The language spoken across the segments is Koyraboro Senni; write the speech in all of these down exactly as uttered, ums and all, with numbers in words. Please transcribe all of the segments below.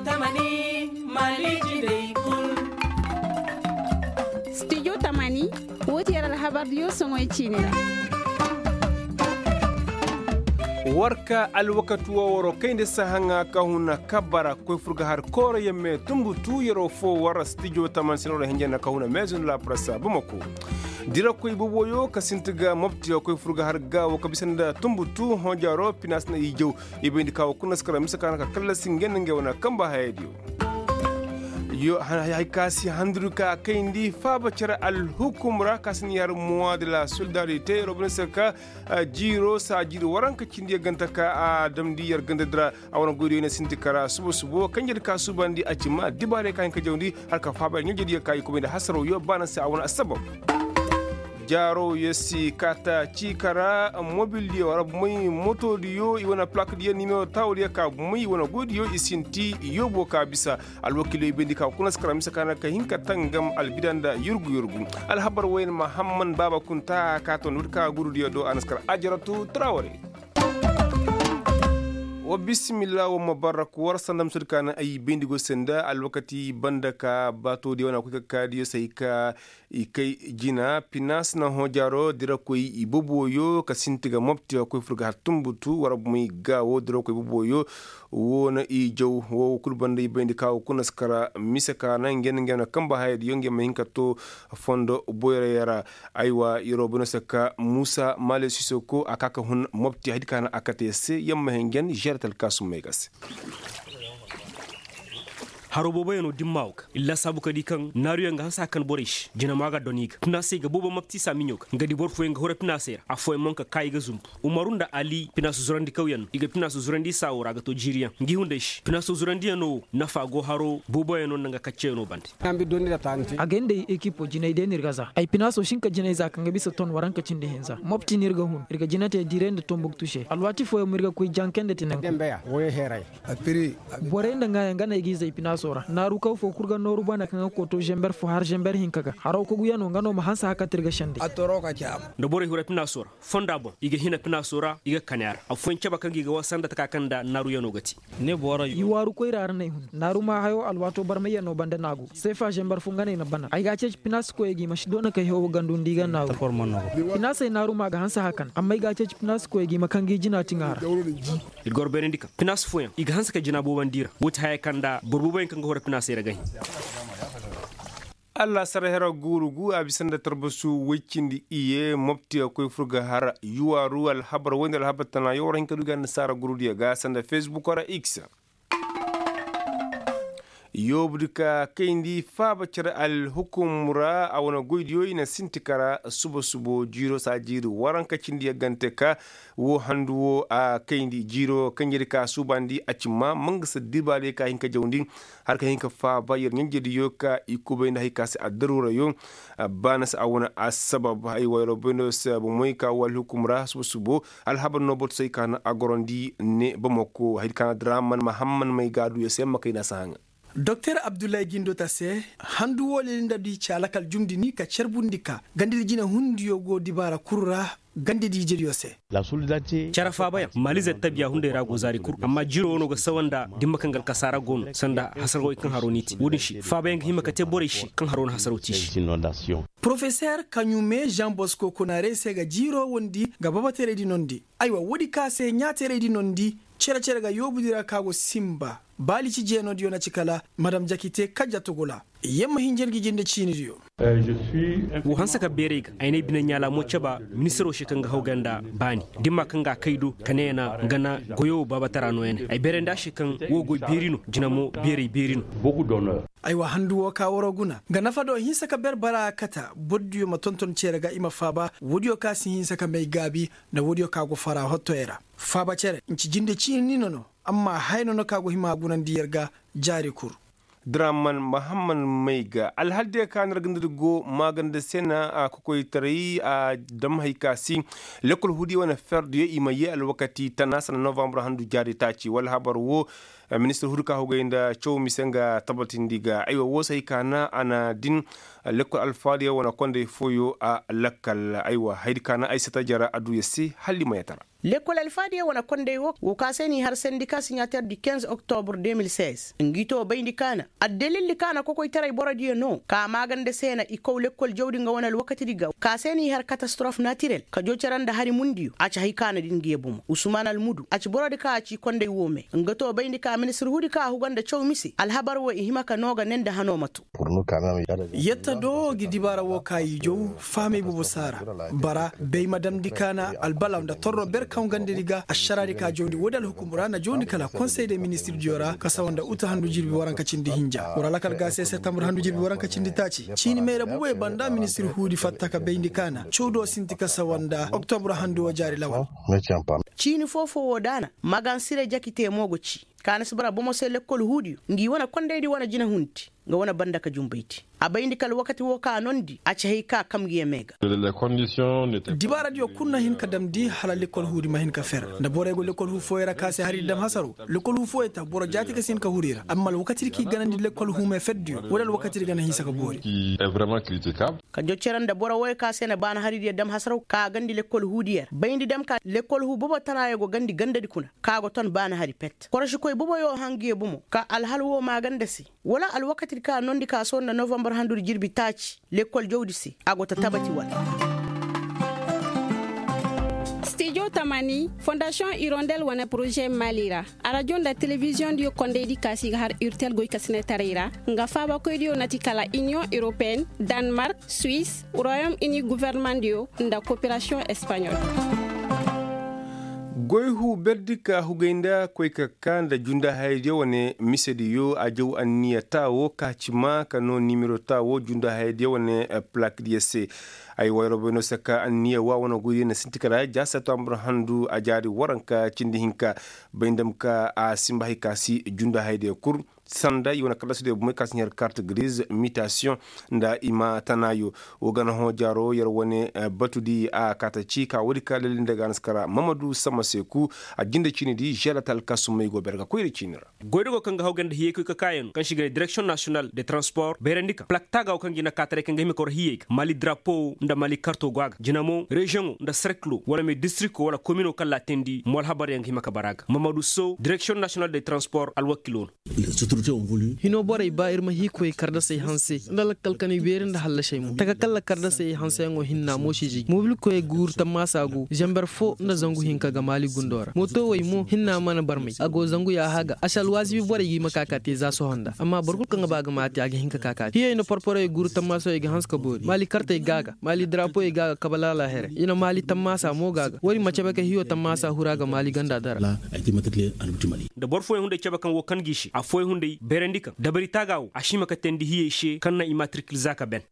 Tamani, mali jindey kul. Studio tamani, woo ti yer alhabardiyo soŋoy ciini ra. War ka alwakati woo waroo kayndi sahaŋa ka huna kabara koy fur ga har kooro yemme tumbutu yeroo foo war studio tamani se no ra hinja na ka huna meezun la prasa bamako. Dirakoy boboyo ka sinti ga mopti koy fur ga har gaawo ka bisa nda tumbutu honjaaro pinaas na i jaw. I bayndi ka woo kuna si kara mise ka na ka kallasi ngey nda ngey wane kamba hayadiyo. Yo hay ka si handuri ka kayndi faaba cere alhukum ra ka si na yar muwa de la solidarite robine se ka jiiro saajiri waranka cindi yaganta ka a damndi yar ganda dira. A wane goydiyo na sinti kara subo subo kanjedi ka suubandi a ci ma dibaarey ka hin ka jawndi har ka faaba yar ɲanjediyo ka i kubay nda hasaraw yo baana se a wane assabab. Jaaro yo si kaata ciika ra mobildiyo wara bumey motodiyo i wane plakdiyo nimero taawodiyo ka bumey i wane goydiyo i sinti yoobo ka bisa. Alwakiiley bayndi ka kuna si kara mise ka na ka hin ka tangam albida nda yurgu yurgu. Alhabar woy na mahamman baaba kunta ka ton wadi ka gurudiyo do a na si kara ajaratu traware. Wa bisimilla wa mabarak war sanda misodi ka na ay bayndi go senda alwakati banda ka baatodiyo wane koy ka kaadiyo se ay ka i kay jina pinaas na hõ jaaro dirakoy i boboyo ka sinti ga mopti ga koy fur ga har tumbutu war bumey gaawo dirakoy boboyo. Woo na i jaw woo kul banda i bayndi ka woo kuna si kara mise ka na ngey nda ngey wane kamba hayadiyo ngey ma hin ka to fondo boyray ra. Aywa yeroo bay no se ka muusa maale sisoko a ka ka hun mopti haydi ka na a kate se yamma hinjan žeretal kaasum may ga se. Haroo booboyaŋ no dimma wo ga iri laasaabu ka di kaŋ naaruyaŋ ga hanse hakan borey se jinamo a ga don i ga pinaasey ga boobo mapti saamiɲo ga nga di boro fooyaŋ ga hura pinaasey ra affooyaŋ mo nga ka kaa i ga zumbu. Umaru nda ali pinaasu zurandikawyaŋ no i ga pinaasu zurandi saawo ra a ga to jiiriyaŋ ngi hunday se pinaasu zurandiyaŋo wo nafa go haroo booboyaŋo nda nga kacceyaŋo bande. Agay nda ay ekipo jinay day no ir ga za ay pinaasoo si hin ka jinay za kaŋ ga bisa ton waranka cindi hinza mopti no ir ga hun ir ga jina te diiray nda tombuktu se alwaati fooyaŋ mo ir ga koy janke nda tinanku. Borey nda ŋaayaŋ ga no ay g'i zay pinaasoo ra naaru kaw foo kul ga nooru bana kaŋ ga koto zenber fo har zenber hinka ga haroo koguyanoo nga no ma hanse haka te ir ga sendey. Nda borey hura pinaasoo ra fonda boŋ i ga hina pinaasoo ra i ga kani a ra affooyaŋ caba kaŋ ga i ga war sanda taka kaŋ nda naaruyanoo ga te. I waaru koyra ra no ay hun naaru maa hayoo alwaatoo barmayyanoo banda no a go seefa zenber fo nga no ay na bana ay ga a ceeci pinaasi koyey ga i ma si doona kay hewo gandu nda i ga naaru. Pinaasey naaru maa ga hanse hakan amma ay ga a ceeci pinaasi koyey ga i ma kaŋ ga i jina tiŋa ra. Ir ga war bayrandi kaŋ pinaasi fooyaŋ i ga hanse ka jina boobandi i ra woo ti haya kaŋ nda boro booboyaŋ kaŋ ga horo pinaasey ra ga hin. Allaasara hera guuru gu a bisa nda tarbasu woy cindi iye mopti a koy fur ga har yuwaaru alhabar woy nda alhabar tana yawar hinka du ga annasaara gurudiyo ga sanda fesbuk ra x. Yoobudi ka kayndi faaba cere alhukum ra a wane goydiyo i na sinti kara suba subo jiiro saa jiiri waranka cindi yaggante ka woo handu woo a kayndi jiiro kaŋ yer ka suubandi a ci maa mangasa dibaadiyo ka hin ka jawndi. Har ka hin ka faaba yer ɲanjediyo ka i kubay nda hari ka se addaruurayo. Baana se a wane assabab ay wayro bayndo se bomey ka woo alhukum ra suba subo. Alhabar no bortosey ka na a gorandi ne bamako hari ka na draman mahamman may ga a du yer se makayna si haŋa. Doktor abdullahi gindo ta se handu woo leli nda du i ci a lakal jumndi ni ka carbundi ka gandadi jinehundiyo go dibaara kul ra. Gandadi ijediyo se. Care faabayaŋ maalize tabiya hunday ra go zaari kul amma jiiro wano ga sawa nda dimma kaŋ ga alkasaara go no sanda hasarwey kaŋ haro n'i te wo-din se faabayaŋ ga hima ka te borey se kaŋ haro na hasaro te i se. Porofeser kaɲume žan bosko konaarey se ga jiiro wondi ga babateraydi nondi. Aywa woodi ka se ɲaateraydi nondi cere cere ga yoobudi ra ka go sinba baali ci jeenodiyo na ci kala madam jakite kajja tugula. Yamma hinja ngi jinde ciinidiyo. Woo hanse ka beeray ga ay n'ay bine ɲaala mo caba ministiroo se kaŋ ga haw ga nda baani dimma kaŋ ga a kay do ka ne ya na nga na goyo woo baabatara nooya ne ay beerandi a se kaŋ woo goy beeri no jina mo beeray beeri no. Aywa handu woo ka waroo guna nga nafa do hinsa ka ber bara a kata bordiyo ma tonton cere ga i ma faaba woodiyo ka si hinsa ka may gaabi nda woodiyo ka go fara hottoyey ra. Faaba cere nci jinde ciini ni no no amma haya no no ka go hima a gunandi yer ga. Jaari kul. Draman mahamman may ga alhal diya ka na ra ganda da go maaganda se na a kokoytaray a dam hari ka si. Lekkol hudiya wane ferdiyo i ma yee alwakati tana sanda novambar handu jaari taaci wala habar woo. Ministir hudi ka hugay nda caw mise nga tabatindi ga aywa woo se hari ka na a na din. Lekkol alfaadiyo wane konday fooyo a lakkal aywa haydi ka na ay sata jara adduya se hala i ma yatara. Lekkol alfaadiyo wane konday wo wo ka se n'i har sendika siɲater di kinze oktobur de mil seize ngi to bayndi ka na addalildi ka na kokoytaray borodiyo no ka maaganda se na i kow lekkol jawdi nga wane alwakatidi ga ka se n'i har katastrof natirel ka joo cere nda hari mundiyo a ci hay ka na din ngi ye bomo usman almudu a ci borodi ka a ci konday wo me nga to bayndi ka ministir huudi ka a huga nda caw mise alhabar wo i hima ka no ga ne nda hano ma to. Yetta do gi dibaara wo ka i jaw fahamey boobo saara bara bay ma damndi ka na albalaw nda torro ber kaŋ gandadi ga ašaraadi ka jawndi woodi alhukum ra na jawndi kala konsey de ministirdiyo ra ka sawa nda uta handu jirbi waranka cindi hinja war alakal ga se septembre handu jirbi waranka cindi taaci ciini mayra booboy banda ministir huudi fatta ka bayndi ka na caw do sinti ka sawa nda oktobur handu wo jaari lawal. Ciini foo-foo wo daana magan sire jaki te mo go ci ka na si bara bomo se lekkol huudiyo ngi wane kondaydi wane jinahundi nga wane banda ka jumbaydi a bayndi kala wakati wo ka noondi a ci hay ka kam gi yeme ga. Dibaaradiyo kul na hin ka damndi hala lekkol huudi ma hin ka fer nda borey go lekkol huu fooyey ra ka se hari di dam hasaro lekkol huu fooyey ta boro jaati ga si hin ka huru i ra amma alwakatidi k'i ganandi lekkol huu me ferdiyo wala alwakatidi ga na hinsa ka boori. Ka jocere nda boro wooyo ka se na baana haridiyo dam hasaraw ka a gandi lekkol huudiyo ra bayndi dam ka lekkol huu bobo tanaayo go gandi gandadi kuna ka go ton baana hari pet korosikoy boboyo hã ngi ye bomo ka alhal woo maaganda se wala alwakatidi ka noondi ka soo nda novambar handudi jirbi taaci lekkol jawdi se a go ta tabati wala. Stijo tamani fondasiyoŋ irondel wane poroze maali ra arajo nda telebiziyoŋdiyo kondaydi kaasi ga har urtel goykasinetaray ra nga faabakoydiyo na ti kala iniyoŋ europeyen danmark, suis, royom ini governemandiyo nda koperasiyoŋ espaɲol. Goy huu berdi ka hugay nda koy ka kaa nda jundaahayadiyo wane misediyo a jaw anniya taawo ka ci maa ka noo nimero taawo jundaahayadiyo wane pilakdiyo se. Ay wayroboy no se ka anniya waa wane goydiyo na sinti kala ja septembre handu a jaari waranka cindi hinka bay nda ma ka a simba hay ka si jundaahayadiyo kul sanda i wane kallasidiyo bomey ka si ɲar kart grise mitasiyoŋ nda i ma tanaayo. Wo gana hõ jaaro yer wane batudi a kaata ci ka woodi ka lelli nda gaanaskara mamadu sama seeku a jinde ciini di želata alkasumey go ber ga koyra ciini ra. Goyda go kaŋ ga hawgay nda hiyey koy ka kaayaŋ kaŋ se i ga ne direksiyoŋ nasiyonal de transpor bayrandi kaŋ plak taaga wo kaŋ ga i na kaataray kaŋ ga hima ka war hiyey ga maali darapo wo nda maali karto go a ga jina mo reziyoŋo nda serkilo wala me distrikto wala komino kaŋ laatindi mo alhabaryaŋ ga hima ka bara a ga mamadu so direksiyoŋ nasiyonal de transpor alwakilo no. Hino borey ba ir ma hii koy kardasey hanse nda lakkal kanay beeri nda hallasey mo taka kalla kardasey hanseyaŋo hinna moosiji mobil koyey guuru tammaasa go zamber fo nda zangu hinka ga maali gundo ra mootowey mo hinna mana barmey a go zangu yaaha ga a si alwaazibi borey ga i ma ka ka te za sohõ nda amma boro kul kaŋ ga ba ga ma a te a ga hin ka ka ka te hiyey nda porporey guuru tammaasawey ga hanse ka boori maali kartey ga a ga maali darapoyey ga a ga kabalaala here i na maali tammaasa mo ga a ga woodi ma cabe ka hiyo tammaasa huru a ga maali ganda dara. Nda boro fooyaŋ hunday cabe kaŋ wo kan ga i se affooyaŋ hunday bayrandi kaŋ dabari taaga wo a si hima ka teendi hiyey se kaŋ na i maatirkil za ka ben.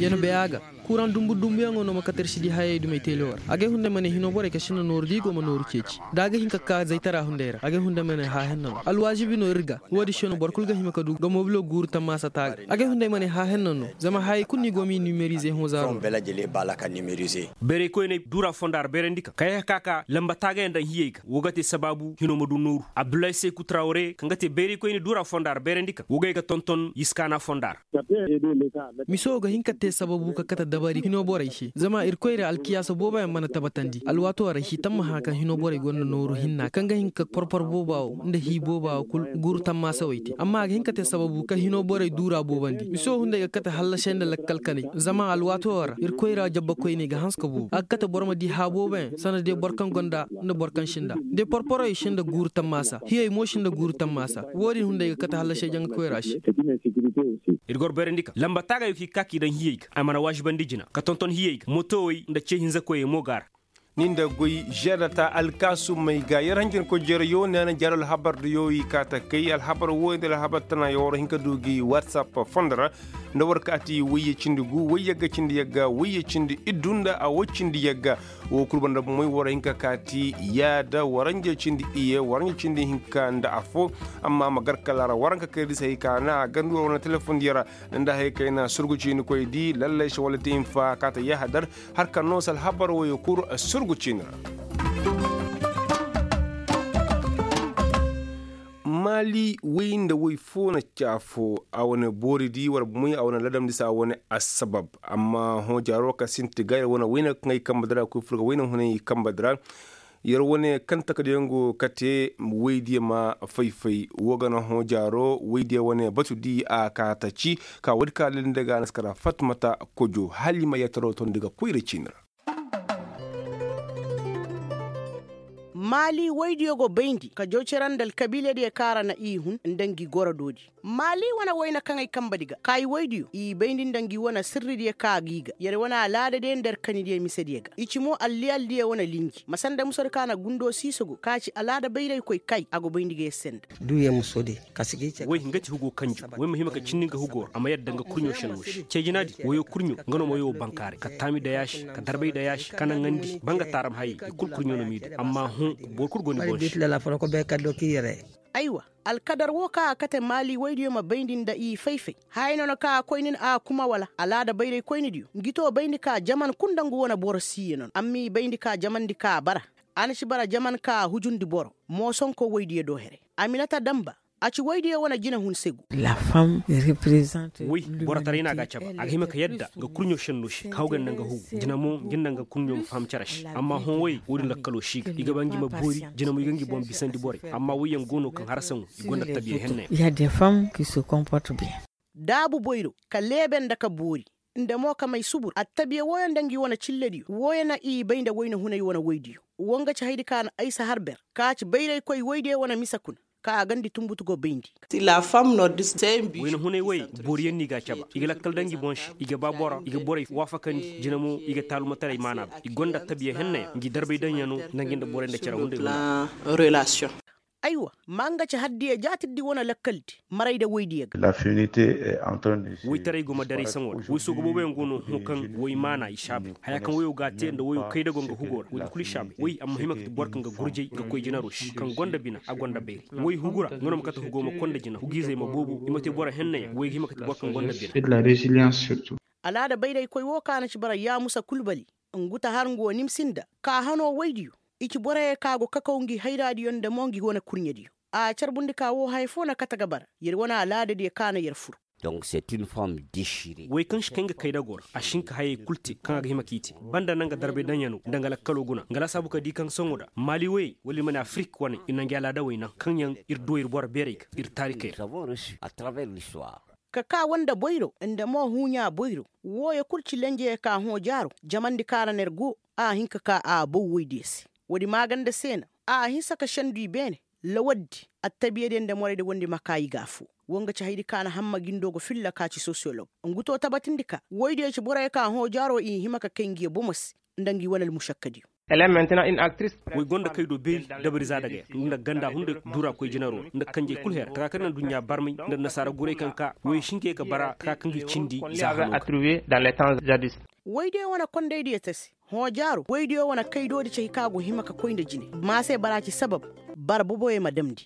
Yer na bay a ga kuraŋ dumbu dumbuyaŋo no ma kate ir si di hayey dumey teele war agay hunday ma ne hino borey ka sinda nooru da i go ma nooru ceeci da a ga hin ka ka zaytara hunday ra agay hunday ma ne haahinna no alwaazibi no ir ga. Woodi se no boro kul ga hima ka du ga mobilo guuru tammaasa taaga agay hunday ma ne haahinna no zama hayey kul no i go m'i nimerize hõ zaaro. Bayraykoyney duura fonda ra bayrandi kaŋ kayey ka ka lamba taagayaŋ daŋ hiyey ga wo ga te sabaabu hino ma du nooru abdullahi seeku tarawre kaŋ ga te bayraykoyne duura fonda ra bayrandi kaŋ wo ga ay ga tonton yiskaana fonda ra. Miso ga hin ka te sababu ka kate dabari hino borey se zama irkoy ra alkiyaasa booboyaŋ mana tabatandi alwaato ra hii tammaha kaŋ hino borey gonda nooru hinna kaŋ ga hin ka porpor booba wo nda hii booba wo kul guuru tammaasawey te amma a ga hin ka te sababu kaŋ hino borey duura boobandi miso hunday ga kate hallasey nda lakkal kanay zama alwaato ra irkoy ra jabbakoyney ga hanse ka boobo a ga kate boro ma di haa booboyaŋ sanda day boro kaŋ gonda nda boro kaŋ sinda day porporoy sinda guuru tammaasa hiyey mo sinda guuru tammaasa wo-din hunday ga kate hallasey jaŋa koyra se. Ir goro bayrandi kaŋ lamba taagay wo kaŋ i ka ka i daŋ hiyey ga a mana waazibandi jina ka tonton hiyey ga mootowey nda ce hinza koyey mo ga a ra. Ni nda goy žeedata alkaasumey ga yer hanjankoy jereyo ne na jaaro alhabar diyo i kaa ta kay alhabar wo nda alhabar tana yo war hin ka du gi whatsapp fondo ra nda war kaati wayye cindi gu wayye ga cindi yagga wayye cindi iddu nda a wo cindi yagga. Wo kul banda bomey war hin ka kaati yaada waranja cindi iye waranja cindi hinka nda affo. Amma ma gar kala ra waranka kay di se hay ka na a gandi war wane telefondi ra nda hay kay na surgu ciinikoy di lallay se wala te hinfa kaata yahadar. Har ka no se alhabar woyo kul surgu ciini ra. Ali woy nda woy foo na caafoo a wane boori di war moy a wane ladam di se a wane assabab. Amma hõ jaaroo ka sinti ga ir wane woy na kaŋ ay kamba dira koy fur ga woy na hunay kamba dira. Yer wane kaŋ takadiyaŋ go kate woy diya ma fay-fay woo ga na hõ jaaroo woy diya wane batu di a ka taci ka woy di ka lilli nda ga a na si kara fatmata kojo hala i ma yattaroo tondi ga koyra ciini ra. Maali woydiyo go bayndi ka jaw cere nda alkabiila diyo kaŋ ra na i hun nda ngi goro doodi. Maali wane woyne kaŋ ay kambe di ga ka i woydiyo i bayndi nda ngi wane sirridiyo kaŋ a g'i ga yer wane alaadadiyo nda yer kanidiyo misediyo ga i ci mo alliyaldiyo wane linji ma sanda musodi kaŋ a na gundo siisogo kaŋ a ci alaada bayraykoy kay a go bayndi ga yer se nda. Woy nga ti hugo kanju woy ma hima ka cindi nga hugo ra a ma yadda nga kurɲo šenno se cee jinaadi woyo kurɲo nga no ma woyo bankaaray ka taami dayaasi ka darbay dayaasi ka naŋandi ba nga taaram hayey i kul kurɲo no m'i du amma hõ boro kul go ni boŋ se. Aywa, alkadar wo kaŋ a kate maali woydiyo ma bayndi nda i fay-fay. Haya no na kaŋ a koy nin a kuma wala alaada bayray koynidiyo ngi to bayndi ka jaman kul nda ngu wane boro siiya no no amma i bayndi ka jamandi ka bara. A na si bara jaman ka hujundi boro moosonko woydiyo do here. Aminata damba a ci woydiyo wane jinehun se go. Woy, borotaray no a ga caba a ga hima ka yadda nga kurɲo senno se ka haw ga nda nga hugu jina mo ngi nda nga kurɲo ma faham cere se amma hõ woyey woodin lakkaloo si ga i ga ba ngi ma boori jina mo i ga ngi boŋ bisandi borey. Amma woyyaŋ go no kaŋ harasa ŋo i gonda tabiya henna yaŋ. Daabu boyro ka leebe nda ka boori nda mo ka may subur attabiya wooyo nda ngi wane cillediyo wooyo na i bay nda wayna hunay wane woydiyo. Woo nga ci haydi ka na aysa har ber ka ci bayraykoy woydiyo wane mise kuna ka a gandi tunbutu go bayndi. Wayna hunay woyey booriyaŋ no i ga a caba i ga lakkal daŋ ngi boŋ se i ga ba boro i ga borey waafakandi jina mo i ga taalumataray maana ba i gonda attabiya hennayaŋ ngi darbay daŋ yaŋ no nda ngi nda borey nda cere hunday hunday. Aywa, ma nga ci haddiya jaatirdi wane lakkaldi maray nda woydiyo ga. Woytaray go ma daray saŋo ra woy sooga booboyaŋ go no hõ kaŋ woy maana i saabu haya kaŋ woyo g'a te nda woyo kaydago nga hugo ra woy kul i saabu woy a ma hima ka ti boro kaŋ ga gurjay ga koy jinaro se kaŋ gonda bina a gonda bayray woy hugu ra nga no ma kate hugo ma konda jina hugiizey ma boobo i ma te boro hennayaŋ woy ga hima ka ti boro kaŋ gonda bina. Alaada bayraykoy wo kaŋ a na ci bara yaamusa kulbali ngu ta har ngu wo nimsi nda ka hanoo woydiyo. I ci boroyaŋ kaŋ a go kakaw ngi hayraadiyo nda mo ngi wane kurɲediyo. A carbundi ka woo haya foo na kate ga bara yer wane alaadadiyo kaŋ a na yer fur. Woy kaŋ si kay nga kaydago ra a si hin ka hayey kul te kaŋ a ga hima k'i te banda na nga darbay daŋyanoo nda nga lakkaloo guna nga laasaabu ka di kaŋ sohõ nda maali woyey wala ir ma ne afirik wane ir na ngi alaadawey naŋ kaŋyaŋ ir du ir boro beerey ga ir taarikey ra. Ka kaa woo nda boyro nda mo huuɲaa boyro. Wooyo kul ci lenjeyo ka hõ jaaro jamandi kaŋ ra no yer go a hin ka kaa a bow woydiyo se. Woodi maaganda se na a hinsa ka sendu i beene. Lawaddi attabiyadiyo nda moraydi wondi ma kaa i ga afoo. Woo nga ci haydi ka na hamma gindo ga filla ka ci sosiyolog. Ngu to tabatindi ka woydiyo ci boroyo ka hõ jaaro i hima ka kay ngiyo bomo se nda ngi wane almušakkadiyo. Woy gonda kay do beeri dabari za dagaya nda ganda hunday duura koy jinaro ra nda kanjey kul her taka kaŋ na aduɲɲa barmay nda nasaara guray kaŋ ka woy si hin ka ye ka bara taka kaŋ ga i cindi za hano ga. Woydiyo wane kondaydiyo te se. Hõ jaaro woydiyo wane kaydoodi cay kaŋ a go hima ka koy nda jine. Maase bara ci sabab bara boboyo ma damndi.